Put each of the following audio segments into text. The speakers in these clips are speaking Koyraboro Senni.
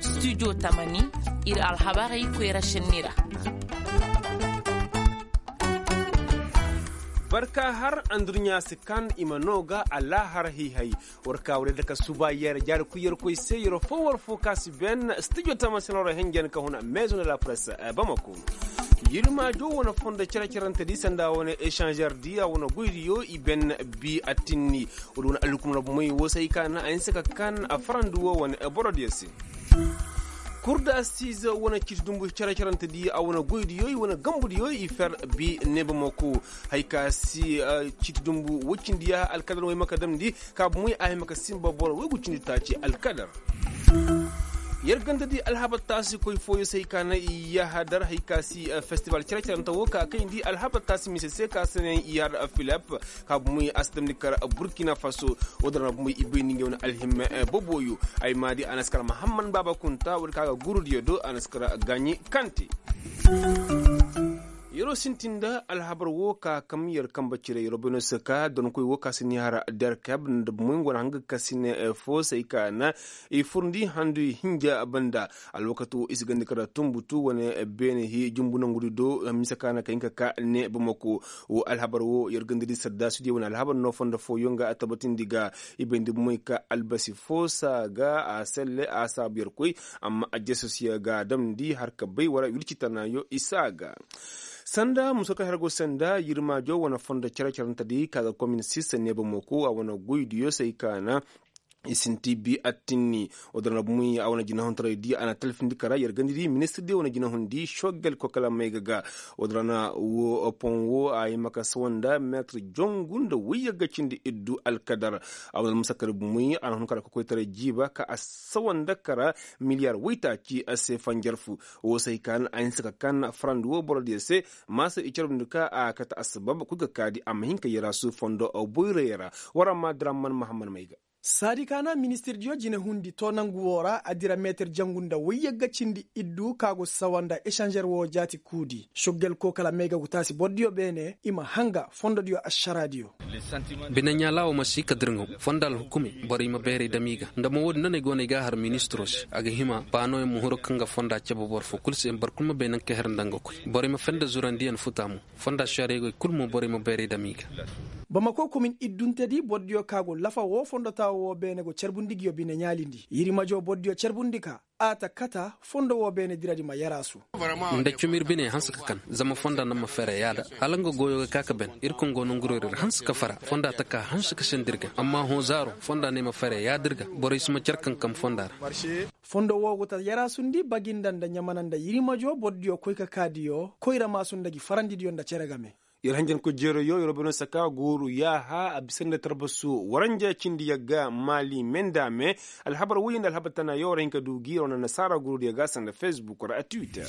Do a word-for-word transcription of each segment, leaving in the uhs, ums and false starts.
Studio tamani, ir alhabarey koyra senni ra. Barka har andurɲa si kan i ma no ga alahar hihay. War ka war yadda ka suba yer jaari kuy yer koy se yer fo war fo ka si ben studio tamani senni ra henjen ka huna maison de la presse bamako. Yirmaajo wane fondo cere-cerante di sanda wane échangeur di a wane goydiyo i ben bi attinni. Wala wane alhukumna bomey wo se ay ka na a hinse ka kan a farandi wo wane borodiyo se. Kurda size wane ciiti dumbu cere-cerante di a wane goydiyo i wane gambudiyo i fer bi neeba moko. Hay ka si ciiti dumbu woy cindi ya alkadar woy maka damndi ka bomey a hima ka simba boro woy gu cindi taaci alkadar. Yer ganda di alhabar taasi koy fooyo se hay ka na i yahadar hay ka si festival cere-cerante wo ka kayndi alhabar taasi mise se ka sanayaŋ i har filep. Ka bumey a si damndi kar burkina faso. Wo-din ra bumey i bay ni ngey wane alhimma boboyo. Ay ma di a na si kar mahamman baaba kunta wo-din ka ga gurudiyo do a na si kar gaaɲi kante. Yeroo sintin nda alhabar wo ka kam yer kambe cire yeroo beeno si ka donkoy wo ka si ni har derkeb nda bumey nga wane hanga ka si ne foo se ay ka na i furndi handu i hinja banda. Alwakati wo i si gandi kara tumbutu wane beene hii jumbu nangudi do mise ka na ka hin ka ka ne bamako. Wo alhabar wo yer gandadi saddaasudiyo wane alhabar no fondo fooyoŋ ga a tabatindi ga. I bayndi bumey ka albasi foo saa ga a selle a saabu yer koy. Amma ajjasosiyo ga a damndi har ka bay wara wirci tanaayo i saa ga. Sanda muso ka hergo sanda yirmaajo wane fondo cere-cerentedi ka ga komin sista ne bamako a wane goydiyo se ay ka na i sinti bi attinni. Wo-din ra bumey a wane jinahuntaray di a na talfindi kara yer gandi di ministir di wane jinahundi shogel kokala mayga ga. Wo-din ra na wo pon wo a hima ka sawa nda meetir jongu nda wayye ga cindi iddu alkadar. A wane almusakar bumey a na hun kara kokoytaray jiiba ka a sawa nda kara miliyar waytaaci a se fanjarfu. Wo se hay ka na a hinse ka kan farandi wo borodiyo se. Maasa i carbundi ka a kate assabab kul ga kaadi a ma hin ka yeraasu fondo boyroyo ra. War a ma diraman mahamman mayga. Saadi ka na ministirdiyo jinehundi to nangu woo ra a dira meetir jangu nda wayyagga cindi iddu ka go sawa nda esanzer woo jaati kuudi soggel koo kala mayga gu taasi bordiyo beene i ma hanga fondodiyo ašaraadiyo. Bineɲaalaawo ma si ka dirŋaw fonda alhukumey borey ma bayray dam i ga nda mo woodin no no ay go no ay ga a har ministiroo se a ga hima baanooyaŋ ma huru kaŋ ga fonda cabe boro foo kul se boro kul ma bay naŋ ka her nda nga koy borey ma fende zurandiyaŋ futa mo. Fonda šariyey goy kul mo borey ma bayray dam i ga. Bamako komin iddunte di bordiyo ka go lafa woo fondotaawo woo beene go carbundi nguyo bine ɲaalindi yirimajo bordiyo carbundi ka a ta kata fondo woo beene diradi ma yaraasu. Nda cumi ir bine hanse ka kan zama fonda naŋ ma fere yaada hala nga goyo ga ka ka ben ir kaŋ go nangurori ir hanse ka fara fonda ta ka hanse ka senda ir ga amma hõ zaaro fonda ne ma fere yaada ir ga borey si ma car kankam fonda ra. Fondo woo go ta yaraasundi baginda nda ɲamana nda yirimajo bordiyo koy ka kaadiyo koyra maasu nda gi farandidiyo nda cere game. Yer hanjankoy jeerayoo yer woo beno saka gooru yaaha a bisa nda tarbasu waranja cindi yagga maali me nda a me. Alhabar woyyo nda alhabar tanaayoo war hin ka du gi yer wane nasaara gurudiyo ga sanda fesbuk ra a twitter.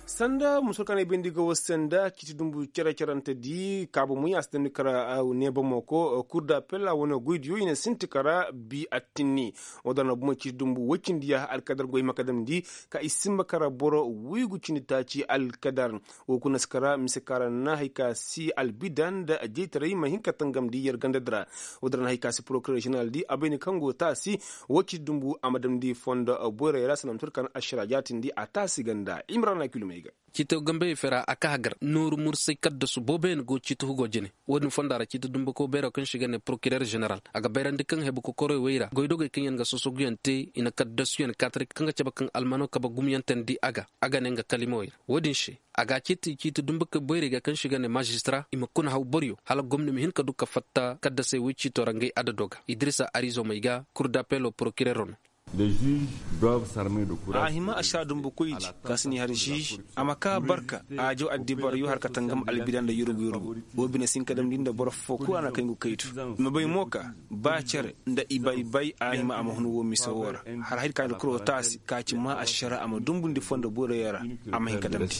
Sanda musul ka na ay bayndi ga war se nda ciiti dumbu cere-cerante di kaabu muy a si damndi kara neebamo ko kur da pella wane goydiyo i na sinti kara bi attinni. Woo da na bumo ciiti dumbu woy cindi yaaha alkadar goy ma ka damndi ka i simba kara boro woy gu cindi taaci alkadar. Woo kuna si kara mise kaŋ ra na hay ka si albida nda jeytaray ma hin ka tangamndi yer ganda di ra. Woo din ra na hay ka si porokirer ženeral di a bay ni kaŋ go taasi woo ciiti dumbu a ma damndi fondo boyray ra sanda ma tur kaŋ ašara jaatindi a taasi ganda imrana kilomey ga. Ciito gambey fera a ka hagar nooru mursay kaddasu booboyaŋ go ciito hugo jine. Woo din fonda ra ciito dumbako bayro kaŋ se i ga ne porokirer ženeral a ga bayrandi kaŋ hebu kokoroy wey ra goydogey kaŋ yaŋ ga sosoguyaŋ te i na kaddasuyaŋ kaataray kaŋ ga cabe kaŋ almano kabe gumyantandi a ga a ga ne nga kalimawey ra. Woo din se a ga a ceeti ciiti dumbakey boyrey ga kaŋ se i ga ne mazistara i ma kuna haw boryo hala gomni ma hin ka du ka fatta kaddasey woy ciito ra ngey adado ga idirisa arizomey ga kurdapelo porokirero no. A hima ašara dumbukoydi kaŋ si ni har ziiz a ma kaa barka a jaw addibaryo har ka tangam albida nda yurub yurub. Woo bine si hin ka damndi nda boro foo kul a na kay ngu kaytu i ma bay mo ka ba cere nda iba iba a hima a ma hun woo mise woo ra. Har hay ka nda kuroo taasi ka ci maa ašara a ma dumbundi fondo boyroyo ra a ma hin ka damndi.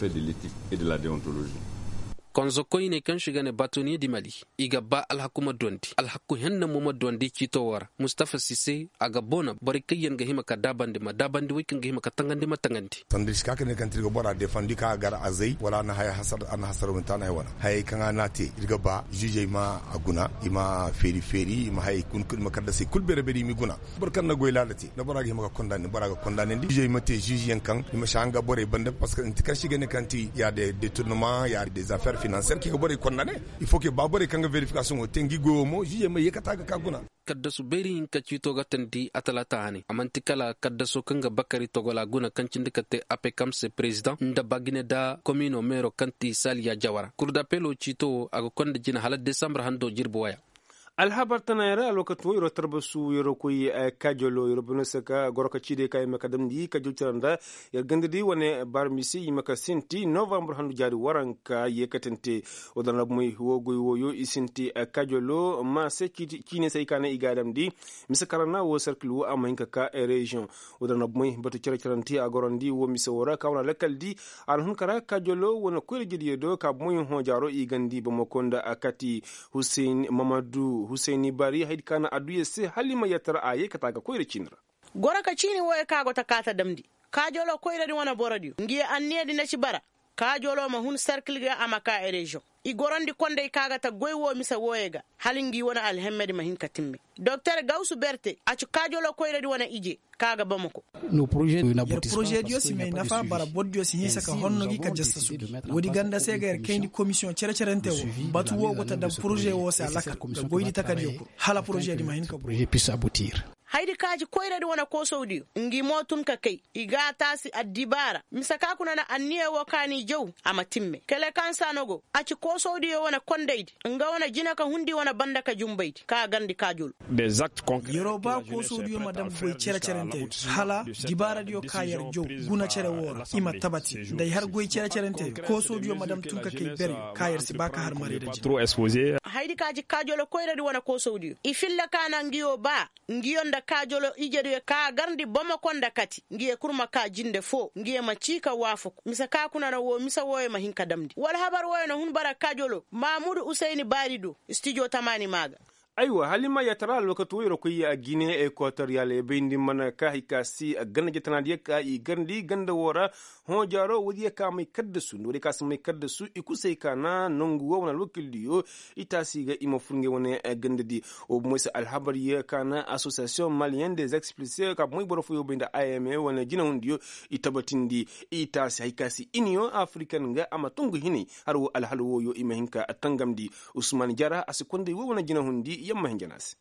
Konzo koyney kaŋ se i ga ne batoniye di mali, i ga ba alhaku ma duwandi, alhaku henna mo ma duwandi ciito woo ra. Mustafa sise, a ga boona borey kaŋ yaŋ ga hima ka daabandi ma daabandi wey kaŋ ga hima ka taŋandi ma taŋandi. Sanda ir si ka ka ne kaŋ te ir ga bora defandi kaŋ a gar azey wala a na haya hasar a na hasar wanta na ay wana hayey kaŋ a na a te, ir ga ba ziizey ma a guna, i ma feeri feeri i ma hayey kul kul i ma kaddasey kul beere beere i m'i guna. Boro kaŋ na goy laala te nda bora ga hima ka kondaane bora ga kondaanandi ziizey ma te ziizi yaŋ kaŋ i ma si haŋ ga borey banda parceque nti kaŋ se i ga ne kaŋ ti ya de deturnama ya de zafeer finansiyeer kaŋ i ga borey kondaane. Il faut que ba borey kaŋ ga verifikasoŋo te ngi goyo mo ziizey ma yeekata ga ka guna. Kaddasu bayri hinka ciito ga tandi a talaata hanay a man'ti kala kaddaso kaŋ ga bakari togola guna kaŋ cindi ka te apekam se perezidaŋ nda bagine nda komino meero kaŋ ti saliya jawara kurdapelo ciito wo a ga konda jina hala desambar hando jirbi waya. Alhabar tanayaŋ ra alwakati wo yeroo tarbasu yeroo koy, kaajolo yeroo bano se ka goro ka ciiday ka i ma ka damndi kaajol tira nda yer ganda di wane barmisi i ma ka sinti novambar handu jaari waranka yeekatante. Woo da na bumey woo goy wooyo i sinti kaajolo ma se ciine se ay ka naŋ i ga a damndi. Mise karana woo serkil woo a ma hin ka ka reziyoŋ. Woo da na bumey batu cere-cerante a gorandi woo mise woo ra ka wane lakkal di. A na hun ka ra kaajolo wane koyra-ijediyo do ka bumey hõ jaaro i gandi bamako nda a kati. Huseyn mamadu huseyn bari haydi ka na adduya se hala i ma yattar a yee ka taa ga koyra ciini ra. Goro ka ciini wooyo kaŋ a go ta kaata damndi kaajolo koyradi wane borodiyo ngi ye anniyadi na ci bara. Kaajolo ma hun serkil ga a ma ka ereziyoŋ. I gorandi kondey kaŋ a ga ta goy woo mise wooyo ga hala ngi wane alhemmedi ma hin ka timme. Doktor gawsu berte a ci kaajolo koyradi wane ije kaŋ a ga bamako. Yer porozediyo si may nafa bara borodiyo si hinsa ka honno gi ka jasta sugi. Woodi ganda se ga yer kayndi komisiyoŋ cere-cerente wo. Batu wo go ta daŋ poroze wo se alakal ga goydi takadiyo kul hala porozedi ma hin ka buu. Haydi ka ci koyradi wane koosowdiyo ngi mo tun ka kay i ga a taasi addibaara mise ka kuna na anniya wo ka n'i jaw. A ma timme kele kaŋ saa no go a ci koosowdiyo wane kondaydi nga wane jina ka hundi wane banda ka jumbaydi ka a garndi kaajol. Yeroo ba koosowdiyo ma daŋ goy cere-cerente hala dibaaradiyo ka yer jaw guna cere woo ra i ma tabati nda ay har goy cere-cerente koosowdiyo ma daŋ tun ka kay bere ka yer si ba ka har marayra jina. Haydi ka ci kaajolo koyradi wane koosowdiyo i filla ka na ngiyo ba ngiyo nda kaajolo ijediyo ka garndi bomoko nda kati ngiyo kul ma ka jinde foo ngiyo ma cii ka waafaku mise ka kuna na woo mise wooyo ma hin ka damndi wala habar wooyo na hun bara kaajolo maamudu usayni baari do. Stijo tamaani maa ga. Aywa hala i ma yaatara alwakati wooyo ra koy a gine ekotoriyal ya bayndi mana ka hay ka se ganda jatanaadiyo ka i garndi ganda woo ra. Hõ jaaro woodiyo ka may kaddasu nda woodiyo ka si may kaddasu i kul se ay ka na nongu woo wane alwakildiyo. I taasi ga i ma fur ngey wane gandadi. Woo bomoy se alhabaryo ka na asosiyasiyoŋ maliyen de zexpilse ka bomoy boro fooyo bay nda a m a wane jinahundiyo. I tabatindi i taasi hay ka se iniyoŋ afiriken ga a ma tungu hinay. Har woo alhala wooyo i ma hin ka tangamndi. Usman jara a si konday woo wane jinahundi yamma hinja no a se.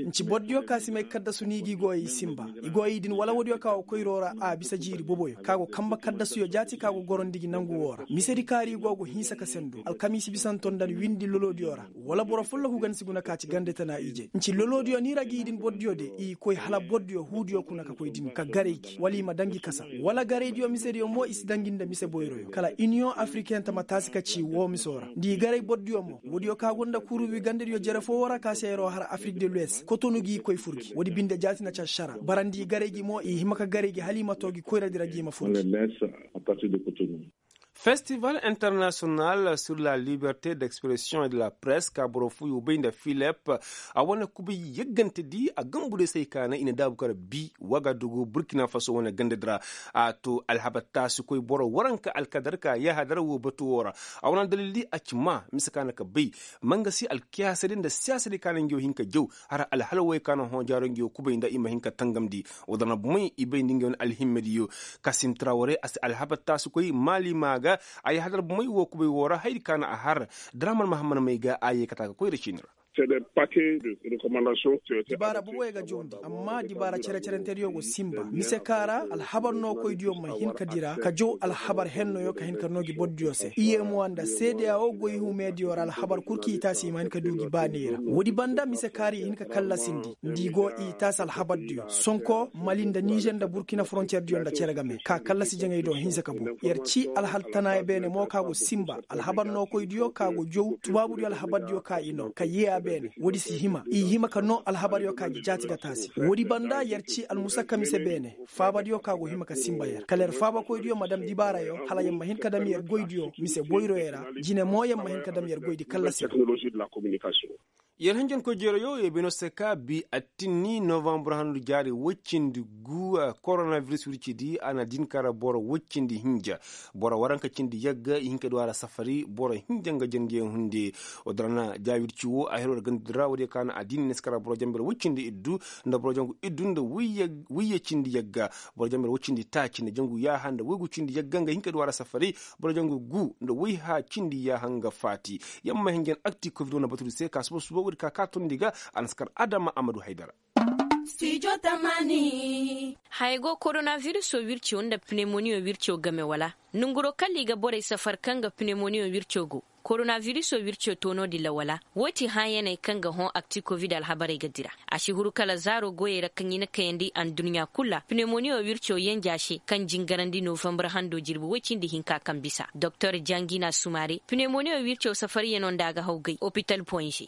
Nci bordiyo ka si may kaddasu ni gi go i sinba i go i din wala woodiyo ka go koyro ra a bisa jiiri boboyo ka go kanba kaddasuyo jaati ka go gorondi gi nangu woo ra misedi kaari go go hinsa ka sendu alkamiisi bisanto nda ni windi lolodiyo ra. Wala boro folloku ganda si guna ka ci ganda tana ije nci lolodiyo ni ra gi din bordiyo de i koy hala bordiyo huudiyo kuna ka koy din ka garay gi wala i ma daŋ gi kasa wala garaydiyo misediyo mo i si daŋ gi nda mise boyroyo kala iniyoŋ afiriken ta ma taasi ka ci woo miso ra nda i garay bordiyo mo woodiyo ka go nda kurubi gandadiyo jere foo woo ra ka se yeroo har afirik de luwes kotonu gi koy fur gi woodi binde jaati na ci ašara bara nda i garay gi mo i hima ka garay gi hala i ma too gi koyradi ra gi i ma fur gi. Festival international sur la liberte d'expresiyoŋ et de la press ka boro fooyo bay nda filip a wane kubay yaggantedi a gambuday se ay ka naŋ i na daabu kar bi wagadugu burkina faso wane gandadi ra. A to alhabar taasikoy boro waranka alkadar ka yahadar woo batu woo ra. A wane daliildi a ci maa mise ka na ka bay mangasi alkiyaasadi nda siyaasadi ka na ngi woo hin ka jaw. Har alhala wooyo ka na hõ jaaro ngi woo kubay nda i ma hin ka tangamndi. Woo da na bomey i bay nda ngi wane alhimmadiyo. Kasim traware a si alhabar taasikoy maali maa ga. A yahadar bomey woo kubay woo ra hayadi ka na a har. Daraman mahammad may ga a yee kata ga koyra ciini ra. Dibaara boboyo ga jawndi amma dibaara cere-cerentediyo go sinba mise ka ra alhabar nookoydiyo ma hin ka dira ka jaw alhabar hennoyo ka hin ka noo gi bordiyo se i yee mo nda seedeya woo goy humediyo ra alhabar kul kaŋ i taasi i ma hin ka du gi baaney ra woodi banda mise ka ra i hin ka kallasindi nda i go i taasi alhabardiyo sonko mali nda nizer nda burkina foronterdiyo nda cere game ka kallasi jaŋay do hinsa ka bu yer ci alhal tanaaya beene mo ka go sinba alhabar nookoydiyo ka go jaw tubaabudiyo alhabardiyo ka i noo ka yee a. Beene woodi si hima i hima ka noo alhabaryo ka gi jaati ga taasi woodi banda yer ci almusakka mise beene. Faabadiyo ka go hima ka sinba yer kala yer faabakoydiyo ma dam dibaarayo hala yer ma hin ka dam yer goydiyo mise boyroyo ra. Jine mo yer ma hin ka dam yer goydi kallasi ra. Yer hinjankoy jeerayo yer bino se ka bi attinni novambar handu jaari woy cindi gu. Koronabiris wircidi a na din kara boro woy cindi hinja. Boro waranka cindi yagga i hin ka du a ra safari boro hinja nga jandiyaŋ hunde. Odorana ja wirci wo a hiro da gandudi ra woodiyo ka na a din ne si kara boro jambir woy cindi iddu nda boro jangu iddu nda wuyye cindi yagga. Boro jambir woy cindi taaci nda jangu yaaha nda woygu cindi yagga nga hin ka du a ra safari. Boro jangu gu nda woyha cindi yaaha nga faati. Yamma hinjan akti covid wane batudi se ka suba suba woodi ka ka tondi ga. A na si kar adama amadu haydara. Haya go koronabiriso wirco nda pinemoniyo wirco game wala? Nonguro kala i ga borey safar kaŋ ga pinemoniyo wirco go. Koronabiriso wirco to no-din ra wala? Wo ti hãyaney kaŋ ga hõ akti covid alhabarey ga dira. A si huru kala zaaro goyey ra kaŋ i na kayandi adduɲɲa kul ra pinemoniyo wirco yenja se kaŋ jingarandi novambar hando jirbi woy cindi hinka kaŋ bisa doktor jangina sumare pinemoniyo wirco safariyano nda a ga haw gay opital poinze.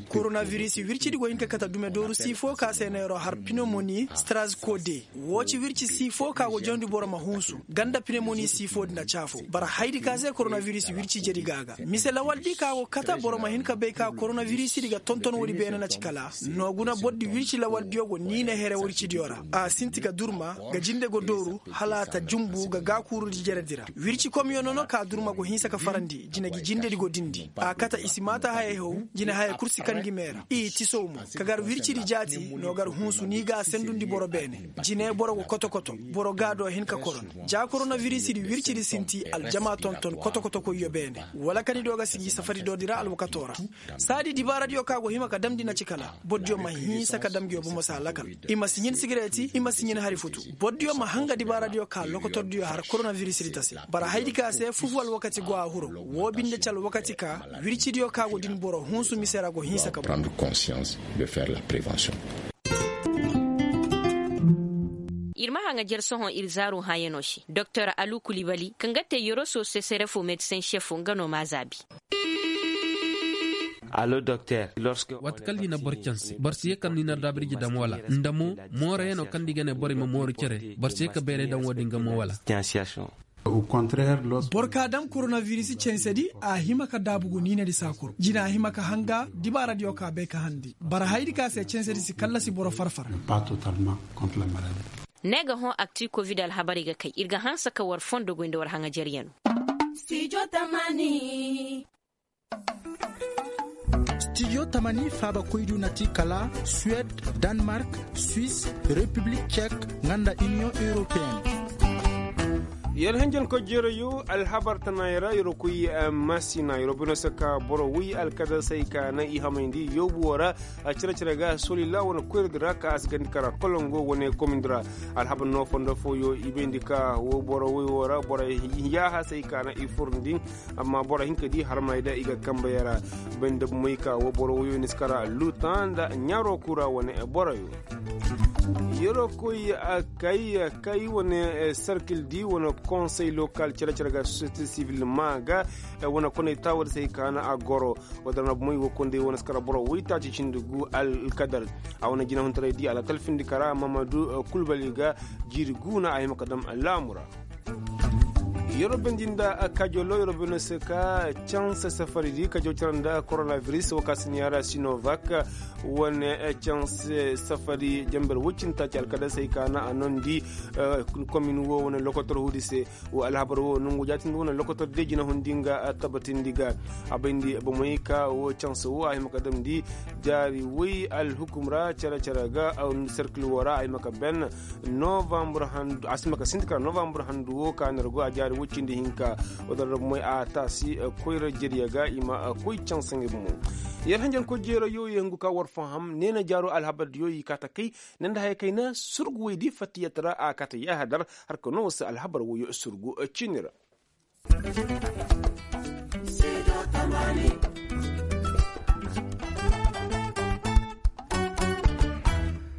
Koronabirisi wircidi go hin ka kate dume dooru sii fo ka se neero har pinemoni strazkode. Woo ci wirci sii fo ka go jawndi boro ma hunsu ganda pinemoni sii fo din a caafo bara haydi ka se koronabirisi wirci jedi ga a ga mise lawaldi ka go kate boro ma hin ka bay ka koronabirisi di ga tonton woodi beene na ci kala. No guna bordi wirci lawaldiyo go niine here wircidiyo ra a sinti ga durma ga jinde go dooru hala a ta junbu ga gaakuurudi jeredi ra. Wirci komyo nono ka durma go hinsa ka farandi jine gi jindedi go dindi a kate i si maata hayey haw. Jine hayey kul si kaŋ gi mee ra i tisow mo ka gar wircidi jaati no gar hunsu ni ga a sendundi boro beene. Jine boro go koto-koto boro ga do hin ka koron ja koronavirisidi wircidi sinti aljama tonton koto-koto koyyo beene wala ka ni do ga si gi safaridoodi ra alwakato ra. Saadi dibaaradiyo ka go hima ka damndi na ci kala bordiyo ma hinsa ka dam nguyo bomo se a lakal. I ma si ɲin sigireti i ma si ɲin hari futu. Bordiyo ma hanga dibaaradiyo ka lokotordiyo har koronavirisidi ta se bara haydi ka se fufu alwakati go a huro. Woo binde ci alwakati ka wircidiyo ka go din boro hunsu mise ra go hinsa ka boŋ. Ir ma haŋa jer sohõ ir zaaru hãyanoo se doktor alu kulibali kaŋ ga te yoroso sesere fo medisen šefo nga no m'a zaabi. Allo doktor. Waati kaŋ ni na boro canse boro si ye kaŋ ni na daabirji daŋ wala nda mo mooroyanoo kaŋ da i ga ne borey ma mooru cere boro si ye ka bayray daŋ wo-din ga mo wala? Boro ka daŋ koronavirisi censedi a hima ka daabu gu niinedi saakuru jina a hima ka hanga dibaaradiyo ka bay ka handi bara haydi ka se censedi si kallasi boro farfar. Ne ga hõ akti kovid alhabarey ga kay ir ga hanse ka war fondo goy nda war haŋajeryanoo. Stijo tamani faabakoydu na ti kala suwed, danmark, swis, repiblik cek, nga nda iniyoŋ europeen. Yer hinjankoy jeerayo alhabar tanaayoo ra yer koy masina yer bino se ka boro woy alkadasey ka naŋ i hamayndi yoobu woo ra. Cere-cere ga solila wane koyradi ra ka a si gandi kara kolongo wane komindi ra. Alhabar no fondo fooyo i bayndi ka woo boro woy woo ra borey yaahasey ka naŋ i furndi. Amma boro hinka di harmay da i ga kambe yara banda bumey ka wo boro woyo ni si kara luta nda ɲaro kura wane boroyo. Yero koy kay kay wane serkil di wane konsey lokal cere-cere ga société civil ma ga wane koney taawadi se hay ka na a goro. Wadara na bumey wo konday wane si kara boro woy taaci cindi gu alkadar. A wane jinahuntara di alkalfindi kara mamadu kulbali ga jiiri gu na a hima ka dam laamu ra. Yero bendi nda kajolo yero beno se ka canse safari di kajo cara nda koronaviris wo ka si ni a ra sinovak. Wane canse safari jamber woy cindi taaci alkadasey ka na a nondi komin wo wane lokotor hudi se. Wo alhabar wo nongu jaatindi wane lokotor de jina hundi nga tabatindi ga. A bayndi bomey ka wo canse wo a hima ka damndi jaari woy alhukum ra care care ga. Serkil wo ra a hima ka ben novambre handu a si hima ka sinti kara novambre handu wo ka nergo a jaari woy cindi hinka. Wadara bomey a taasi koyra jeriya ga i ma koy canse nga bomo. Yer hanjankoy jeerayo ye hungu ka war faham neena jaaro alhabar diyo i kaa ta kay. Ne nda haya kayna surgu woy di fattiyat ra a kaa ta yaahadar. Har ka no war se alhabar woyo surgu ciini ra.